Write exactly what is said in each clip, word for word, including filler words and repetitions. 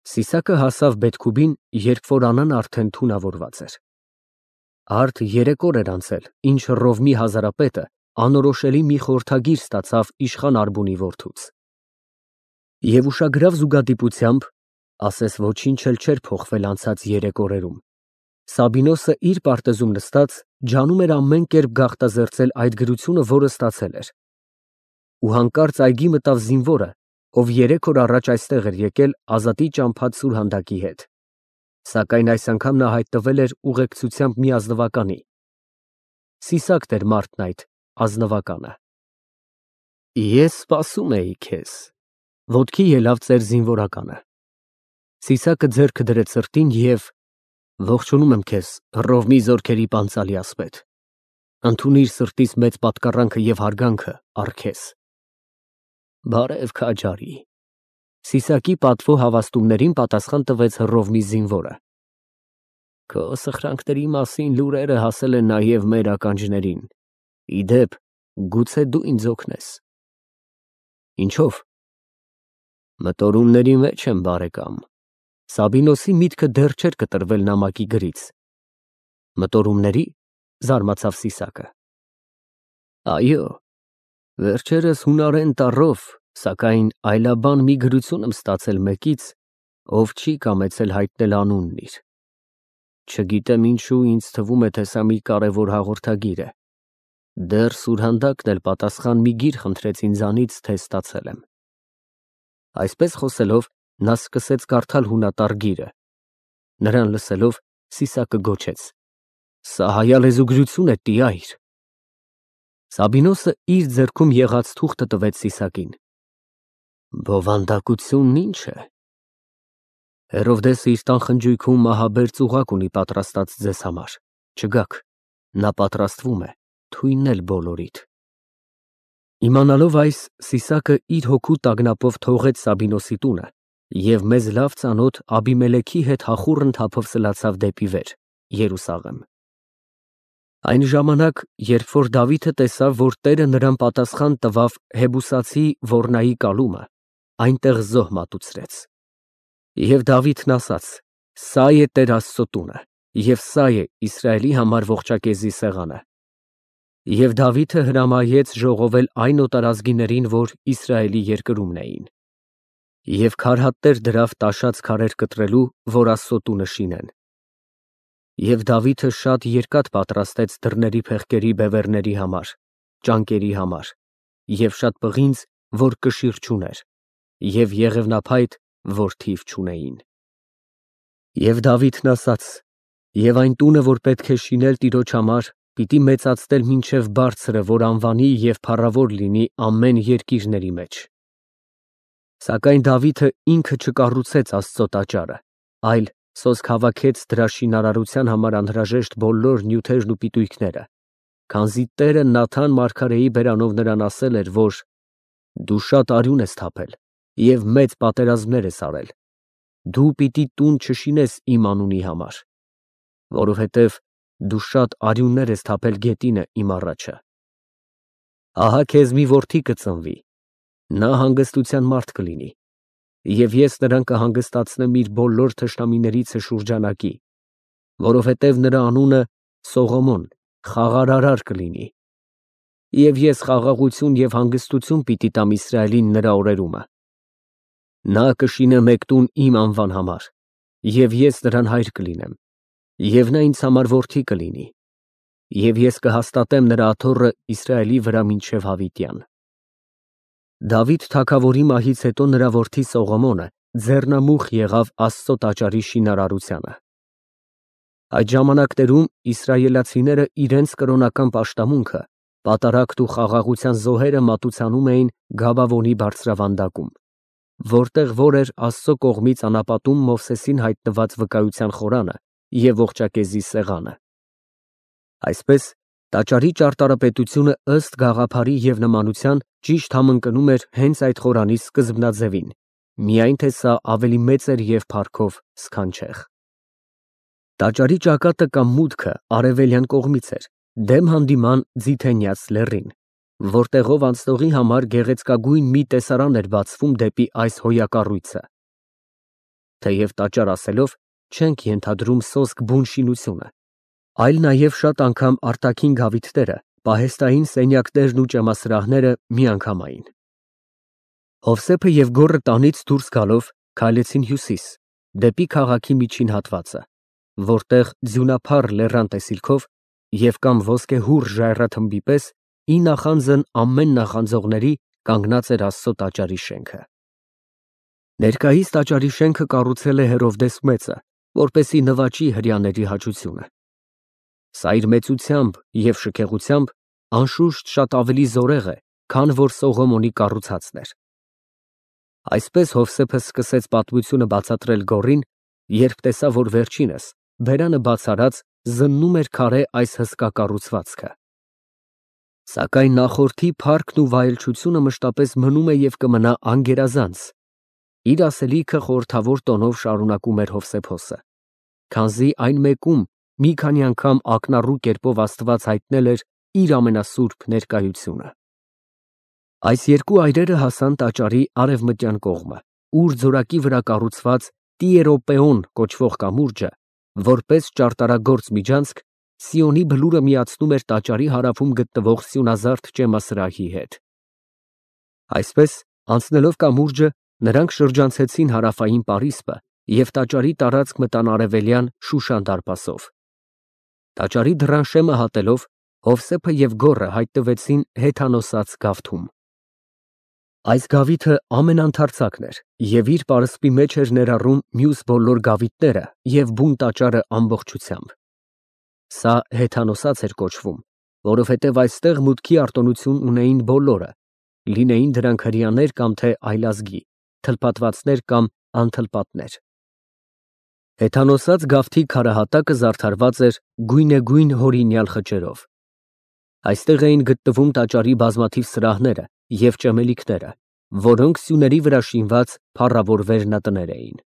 Սիսակը հասավ Բեթքուբին, երբ որ Անան արդեն թունավորված էր։ Արդ երեք օր էր անցել, ինչ Ռովմի հազարապետը անորոշելի մի խորհրդագիր ստացավ իշխան Արբունի որդուց։ Եվ ուշագրավ զուգադիպությամբ, ասես ոչինչ էլ չէր փոխվել անցած երեք օրերում, Սաբինոսը իր պարտեզում նստած ջանում էր ամեն կերպ գաղտազերծել այդ գրությունը, որը ստացել էր։ Ու հանկարծ այգի մտավ զինվորը, ով երեք օր առաջ այստեղ էր եկել Ազատի ճամփած սուրհանդակի հետ, սակայն այս անգամ նա հայտնվել էր ուղեկցությամբ մի ազնվականի։ Սիսակն էր մարդն այդ ազնվականը։ Ես սպասում էի քեզ, ոտքի ելավ ծեր զինվորականը։ Սիսակը ձեռքը դրեց սրտին և ողջունում եմ քեզ, Ռովմի զորքերի պանծալի ասպետ, ընդունիր սրտիս մեծ պատկառանքը և հարգանքը առ քեզ։ Բարև քաջարի։ Սիսակի պատվո հավաստումներին պատասխան տվեց Ռովմի զինվորը։ Քո սխրանքների մասին լուրերը հասել են նաև մեր ականջներին, ի դեպ, գուցե դու ինձ օգնես։ Ինչո՞վ։ Մտորումների մեջ եմ, բարեկամ։ Սաբինոսի միտքը դեռ չէր կտրվել նամակի գրից։ Մտորումների, զարմացավ Սիսակը։ Այո, վերջերս հունարեն տառով, սակայն այլաբան մի գրություն եմ ստացել մեկից, ով չի կամեցել հայտնել անունն իր։ Չգիտեմ ինչու ինձ թվում է, թե սա մի կարևոր հաղորդագիր է։ Դեռ սուրհանդակն էլ պատասխան մի գիր խնդրեց ինձանից, թե ստացել եմ։ Այսպես խոսելով, նա սկսեց կարդալ հունատառ գիրը։ Նրան լսելով, Սիսակը գոչեց. Սա հայալեզու գրություն է, տյայր։ Սաբինոսը իր ձեռքում եղած թուղթը տվեց Սիսակին։ Բովանդակությունն ինչ է։ Հերովդեսը իր տան խնջույքում մահաբեր ծուղակ ունի պատրաստած ձեզ համար, չգաք, նա պատրաստվում է, թույննել բոլորիդ։ Իմանալով այս, Սիսակը իր հոգու տագնապով թողեց Սաբինոսի տունը և մեզ լավ ծանոթ Աբիմելեքի հետ հախուռն թափով սլացավ դեպի վեր, Երուսաղեմ։ Այն ժամանակ, երբ որ Դավիթը տեսավ, որ Տերը նրան պատասխան տվավ Հեբուսացի ոռնայի կալումը, այնտեղ զոհ մատուցրեց։ Եվ Դավիթն ասաց. Սա է Տեր Աստծո տունը, և սա է Իսրայելի համար ողջակեզի սեղանը։ Եվ Դավիթը հրամայեց ժողովել այն օտարազգիներին, որ Իսրայելի երկրումն էին։ Եվ քարհատներ դրավ տաշած քարեր կտրելու, որ Աստծո տունը շինեն։ Եվ Դավիթը շատ երկաթ պատրաստեց դռների փեղկերի բևեռների համար, ճանկերի համար, և շատ պղինձ, որ կշիռ չուներ, և եղևնափայտ, որ թիվ չունեին։ Եվ Դավիթն ասաց. Եվ այն տունը, որ պետք է շինել Տիրոջ համար, պիտի մեծացնել մինչև բարձրը, որ անվանի և փառավոր լինի ամեն երկիրների մեջ։ Սակայն Դավիթը ինքը չկառուցեց Աստծո տաճարը, այլ սոսկ հավաքեց դրա շինարարության համար անհրաժեշտ բոլոր նյութերն ու պիտույքները, քանզի Տերը Նաթան մարգարեի բերանով նրան ասել էր, որ դու շատ արյուն ես թափել և մեծ պատերազմներ ես արել, դու պիտի տուն չշինես իմ անունի համար, որովհետև դու շատ արյուններ ես թափել գետինը իմ առաջը։ Ահա քեզ մի որդի կծնվի, նա հանգստության մարդ կլինի, և ես նրան կհանգստացնեմ իր բոլոր թշնամիներիցը շուրջանակի, որովհետև նրա անունը Սողոմոն, խաղարարար կլինի, և ես խաղաղություն և հանգստություն պիտի տամ Իսրայելին նրա օրերումը։ Նա կշինե մեկ տուն իմ անվան համար, և ես նրան հայր կլինեմ, և նա ինձ համար որդի կլինի, և ես կհաստատեմ նրա աթոռը Իսրայելի վրա մինչև հավիտյան։ Դավիթ թագավորի մահից հետո նրա որդի Սողոմոնը ձեռնամուխ եղավ Աստծո տաճարի շինարարությանը։ Այդ ժամանակներում իսրայելացիները իրենց կրոնական պաշտամունքը, պատարագն ու խաղաղության զոհերը մատուցանում էին Գաբավոնի բարձրավանդակում, որտեղ որ էր Աստծո կողմից անապատում Մովսեսին հայտնված վկայության խորանը և ողջակեզի սեղանը։ Այսպես, տաճարի ճարտարապետությունը ըստ գաղափարի և նմանության ճիշտ համընկնում էր հենց այդ խորանի սկզբնաձևին, միայն թե սա ավելի մեծ էր և փառքով սքանչեղ։ Տաճարի ճակատը կամ մուտքը արևելյան կողմից էր, դեմ հանդիման Ձիթենյաց լեռին, որտեղով անցնողի համար գեղեցկագույն մի տեսարան էր բացվում դեպի այս հոյակառույցը։ թեև տաճար ասելով չենք ենթադրում սոսկ բուն շինությունը, այլ նաև շատ անգամ արտաքին գավիթները, պահեստային սենյակներն ու ճեմասրահները միանգամայն։ Հովսեփը և Գոռը տանից դուրս գալով քայլեցին հյուսիս, դեպի քաղաքի միջին հատվածը, որտեղ ձյունափառ լեռան տեսիլքով և կամ ոսկեհուռ ժայռաթմբի պես ի նախանձն ամեն նախանձողների կանգնած էր Աստծո տաճարի շենքը։ Ներկայիս տաճարի շենքը կառուցել է Հերովդես Մեծը, որպեսզի նվաճի հրեաների հաճությունը։ Սա իր մեծությամբ և շքեղությամբ անշուշտ շատ ավելի զորեղ է, քան որ Սողոմոնի կառուցածն էր։ Այսպես Հովսեփը սկսեց պատմությունը բացատրել Գոռին, երբ տեսավ, որ վերջինս, բերանը բաց արած, զննում էր քարե այս հսկա կառուցվածքը։ Սակայն նախորդի փառքն ու վայելչությունը մշտապես մնում է և կմնա անգերազանց, իր ասելիքը խորհրդավոր տոնով շարունակում էր Հովսեփոսը, քանզի այն մեկում մի քանի անգամ ակնառու կերպով Աստված հայտնել էր իր ամենասուրբ ներկայությունը։ Այս երկու այրերը հասան տաճարի արևմտյան կողմը, ուր ձորակի վրա կառուցված Տիերոպեոն կոչվող կամուրջը, որպես ճարտարագործ միջանցք, Սիոնի բլուրը միացնում էր տաճարի հարավում գտնվող սյունազարդ ճեմասրահի հետ։ Այսպես, անցնելով կամուրջը, նրանք շրջանցեցին հարավային պարիսպը և տաճարի տարածք մտան արևելյան Շուշան դարպասով։ Տաճարի դռան շեմը հատելով, Հովսեփը և Գոռը հայտնվեցին հեթանոսաց գավթում։ Այս գավիթը ամենաընդարձակն էր և իր պարսպի մեջ էր ներառում մյուս բոլոր գավիթները և բուն տաճարը ամբողջությամբ։ Սա հեթանոսաց էր կոչվում, որովհետև այստեղ մուտքի արտոնություն ունեին բոլորը, լինեին դրանք հրեաներ կամ թե այլազգի, թլփատվածներ կամ անթլպատներ։ Հեթանոսաց գավթի քարահատակը զարդարված էր գույնեգույն հորինյալ խճերով։ Այստեղ էին գտնվում տաճարի բազմաթիվ սրահները և ճեմելիքները, որոնք սյուների վրա շինված փառավոր վերնատներ էին։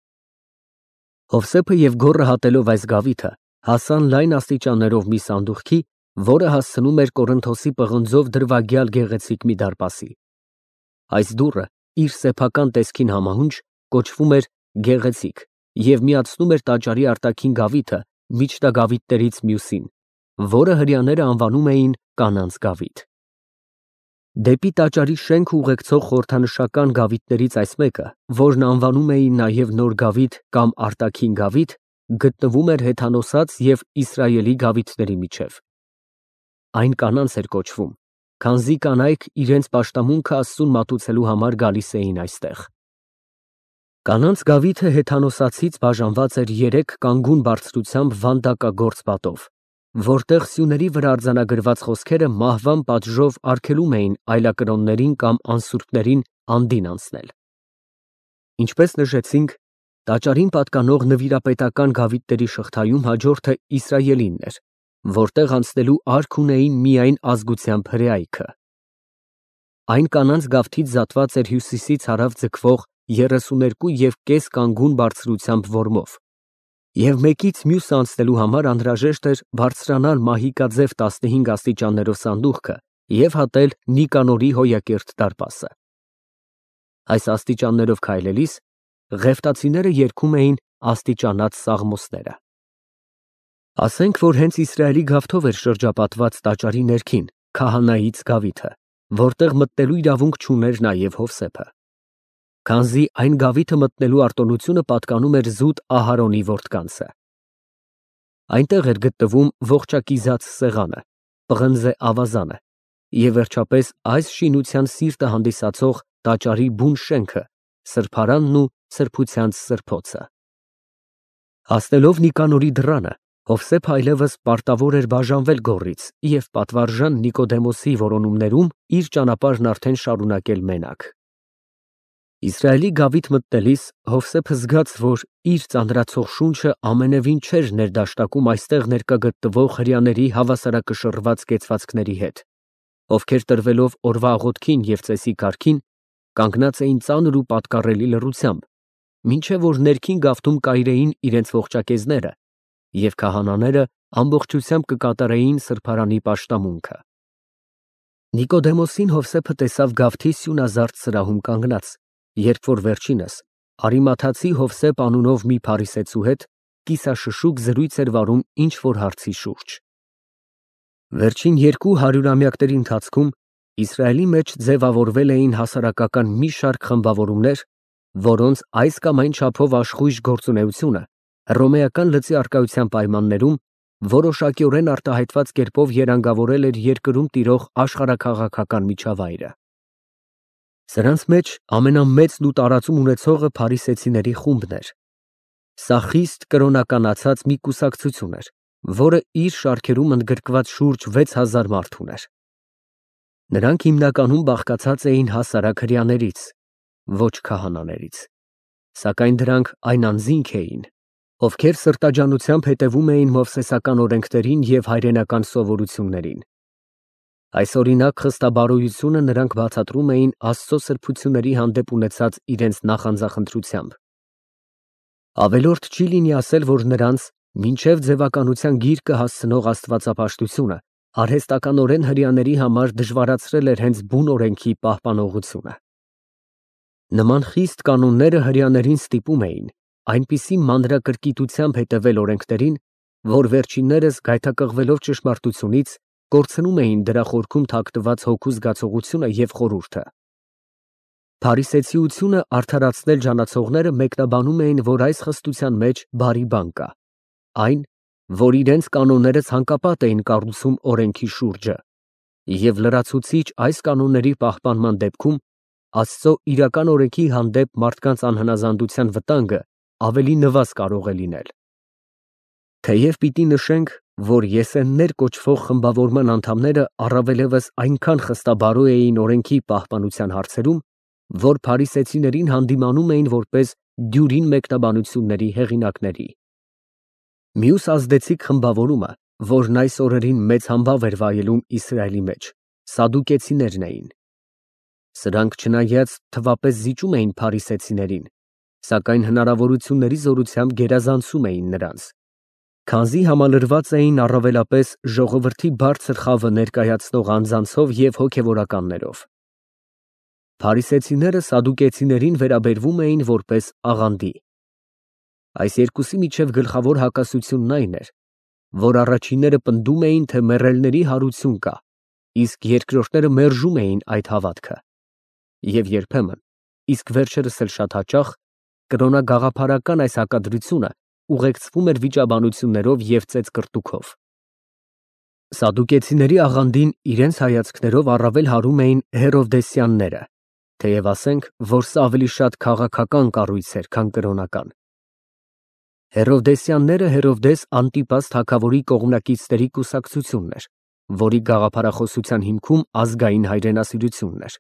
Հովսեփը և Գոռը հատելով այս գավիթը, հասան լայն աստիճաններով մի սանդուղքի, որը հասցնում էր Կորինթոսի պղնձով դրվագյալ գեղեցիկ մի դարպասի։ Այս դուռը, իր սեփական տեսքին համահունչ, կոչվում էր Գեղեցիկ և միացնում էր տաճարի արտաքին գավիթը միջնագավիթներից մյուսին, որը հրեաները անվանում էին Կանանց գավիթ։ Դեպի տաճարի շենք ուղեկցող խորհրդանշական գավիթներից այս մեկը, որն անվանում էին նաև Նոր գավիթ կամ արտաքին գավիթ, գտնվում էր հեթանոսաց և Իսրայելի գավիթների միջև։ Այն կանանց էր կոչվում, քանզի կանայք իրենց պաշտամունքը Աստծուն մատուցելու համար գալիս էին այստեղ։ Կանանց գավիթը հեթանոսացից բաժանված էր երեք կանգուն բարձրությամբ վանդակագործ պատով, որտեղ սյուների վրա արձանագրված խոսքերը մահվան պատժով արգելում էին այլակրոններին կամ անսուրբներին անդին անցնել։ Ինչպես նշեցինք, տաճարին պատկանող նվիրապետական գավիթների շղթայում հաջորդը Իսրայելինն էր, որտեղ անցնելու արք ունեին միայն ազգությամբ հրեայքը։ Այն կանանց գավթից զատված էր հյուսիսից հարավ ձգվող երեսուներկու և կես կանգուն բարձրությամբ որմով, և մեկից մյուսը անցնելու համար անհրաժեշտ էր բարձրանալ մահիկաձև տասնհինգ աստիճաններով սանդուղքը և հատել Նիկանորի հոյակերտ դարպասը։ Այս աստիճաններով քայլելիս Ղևտացիները երգում էին աստիճանած սաղմոսները։ Ասենք, որ հենց Իսրայելի գավթով էր շրջապատված տաճարի ներքին քահանայից գավիթը, որտեղ մտնելու իրավունք չուներ նաև Հովսեփը, քանզի այն գավիթը մտնելու արտոնությունը պատկանում էր զուտ Ահարոնի որդկանցը։ Այնտեղ էր գտնվում ողջակիզաց սեղանը, պղնձե ավազանը և վերջապես այս շինության սիրտը հանդիսացող տաճարի բուն շենքը, սրբարանն ու սրբությանց սրբոցը։ Հասնելով Նիկանորի դռանը, Հովսեփը այլևս պարտավոր էր բաժանվել Գոռից և պատվարժան Նիկոդեմոսի որոնումներում իր ճանապարհն արդեն շարունակել մենակ։ Իսրայելի գավիթ մտնելիս Հովսեփը զգաց, որ իր ծանրացող շունչը ամենևին չէր ներդաշնակում այստեղ ներկա գտնվող հրեաների հավասարակշռված կեցվածքների հետ, ովքեր տրվելով օրվա աղոթքին և ծեսի կարգին, կանգնած էին ծանր ու պատկառելի լռությամբ, մինչև որ ներքին գավթում կայրեին իրենց ողջակեզները և քահանաները ամբողջությամբ կկատարեին սրբարանի պաշտամունքը։ Նիկոդեմոսին Հովսեփը տեսավ գավթի սյունազարդ սրահում կանգնած, երբ որ վերջինս Արիմաթացի Հովսեփ անունով մի փարիսեցու հետ կիսաշշուկ զրույց էր վարում ինչ-որ հարցի շուրջ։ Վերջին երկու հարյուրամյակների ընթացքում Իսրայելի մեջ ձևավորվել էին հասարակական մի շարք խմբավորումներ, որոնց այս կամ այն չափով աշխույժ գործունեությունը հռոմեական լծի առկայության պայմաններում որոշակիորեն արտահայտված կերպով երանգավորել էր երկրում տիրող աշխարհաքաղաքական միջավայրը։ Սրանց մեջ ամենամեծն ու տարածում ունեցողը փարիսեցիների խումբն էր։ Սա խիստ կրոնականացած մի կուսակցություն էր, որը իր շարքերում ընդգրկված շուրջ վեց հազար մարդ ուներ։ Նրանք հիմնականում բաղկացած էին հասարակ հրեաներից, ոչ քահանաներից, սակայն դրանք այն անձինք էին, ովքեր սրտաջանությամբ հետևում էին մովսեսական օրենքներին և հայրենական սովորություններին։ Այս օրինակ խստաբարոյությունը նրանք բացատրում էին Աստծո սրբությունների հանդեպ ունեցած իրենց նախանձախնդրությամբ։ Ավելորդ չի լինի ասել, որ նրանց մինչև ձևականության գիրկը հասցնող աստվածապաշտությունը արհեստականորեն հրեաների համար դժվարացրել էր հենց բուն օրենքի պահպանողությունը։ Նման խիստ կանոնները հրեաներին ստիպում էին այնպիսի մանրակրկիտությամբ հետևել օրենքներին, որ վերջիններս գայթակղվելով ճշմարտությունից կորցնում էին դրա խորքում թաքնված հոգու զգացողությունը և խորհուրդը։ Փարիսեցիությունը արդարացնել ջանացողները մեկնաբանում էին, որ այս խստության մեջ բարի բան կա, այն, որ իրենց կանոնները ցանկապատ էին կառուցում օրենքի շուրջը, և լրացուցիչ այս կանոնների պահպանման դեպքում Աստծո իրական օրենքի հանդեպ մարդկանց անհնազանդության վտանգը ավելի նվազ կարող է լինել։ Թեև պիտի նշենք, որ եսեններ կոչվող խմբավորման անդամները առավելևս այնքան խստաբարո էին օրենքի պահպանության հարցերում, որ փարիսեցիներին հանդիմանում էին որպես դյուրին մեկնաբանությունների հեղինակների։ Մյուս ազդեցիկ խմբավորումը, որն այս օրերին մեծ համբավ էր վայելում Իսրայելի մեջ, սադուկեցիներն էին։ Սրանք չնայած թվապես զիջում էին փարիսեցիներին, սակայն հնարավորությունների զորությամբ գերազանցում էին նրանց, քանզի համալրված էին առավելապես ժողովրդի բարձր խավը ներկայացնող անձանցով և հոգևորականներով։ Փարիսեցիները սադուկեցիներին վերաբերվում էին որպես աղանդի։ Այս երկուսի միջև գլխավոր հակասությունն այն էր, որ առաջինները պնդում էին, թե մեռելների հարություն կա, իսկ երկրորդները մերժում էին այդ հավատքը։ Եվ երբեմն, իսկ վերջերս էլ շատ հաճախ, կրոնագաղափարական այս հակադրությունը ուղեկցվում էր վիճաբանություններով և ծեծկռտուքով։ Սադուկեցիների աղանդին իրենց հայացքներով առավել հարում էին հերովդեսյանները, թեև ասենք, որ սա ավելի շատ քաղաքական կառույց էր, քան կրոնական։ Հերովդեսյանները Հերովդես Անտիպաս թագավորի կողմնակիցների կուսակցությունն էր, որի գաղափարախոսության հիմքում ազգային հայրենասիրությունն էր։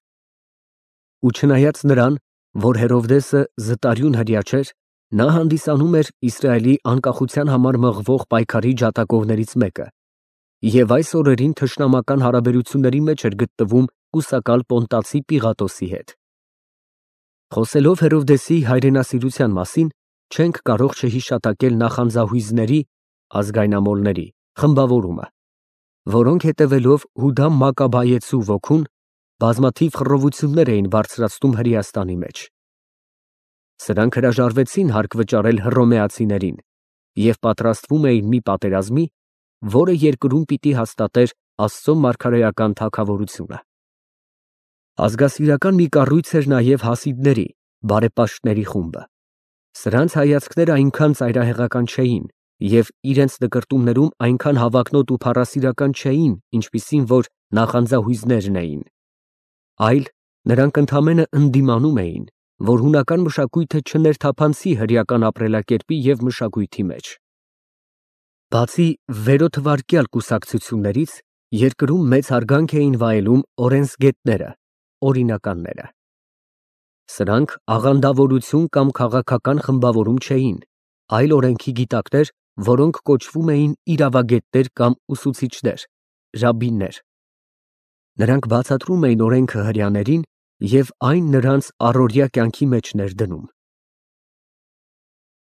Ու չնայած նրան, որ Հերովդեսը զտարյուն հրեա չէր, նա հանդիսանում էր Իսրայելի անկախության համար մղվող պայքարի ջատագովներից մեկը, և այս օրերին թշնամական հարաբերությունների մեջ էր գտնվում կուսակալ Պոնտացի Պիղատոսի հետ։ Խոսելով Հերովդեսի հայրենասիրության մասին, չենք կարող չհիշատակել նախանձահույզների ազգայնամոլների խմբավորումը, որոնք հետևելով Հուդա Մակաբայեցու ոգուն բազմաթիվ խռովություններ էին բարձրացնում Հրեաստանի մեջ։ Սրանք հրաժարվեցին հարկ վճարել հռոմեացիներին և պատրաստվում էին մի պատերազմի, որը երկրում պիտի հաստատեր Աստծո մարգարեական թագավորությունը։ Ազգասիրական մի կառույց էր նաև հասիդների, բարեպաշտների խումբը։ Սրանց հայացքները այնքան ծայրահեղական չէին և իրենց նկրտումներում այնքան հավակնոտ ու փառասիրական չէին, ինչպիսին որ նախանձահույզներն էին, այլ նրանք ընդամենը ընդդիմանում էին, որ հունական մշակույթը չներթափանցի հրեական ապրելակերպի և մշակույթի մեջ։ Բացի վերոթվարկյալ կուսակցություններից, երկրում մեծ հարգանք էին վայելում օրենսգետները, օրինականները։ Սրանք աղանդավորություն կամ քաղաքական խմբավորում չէին, այլ օրենքի գիտակներ, որոնք կոչվում էին իրավագետներ կամ ուսուցիչներ, ռաբբիներ։ Նրանք բացատրում էին օրենքը հրեաներին և այն նրանց առօրյա կյանքի մեջ ներդնում։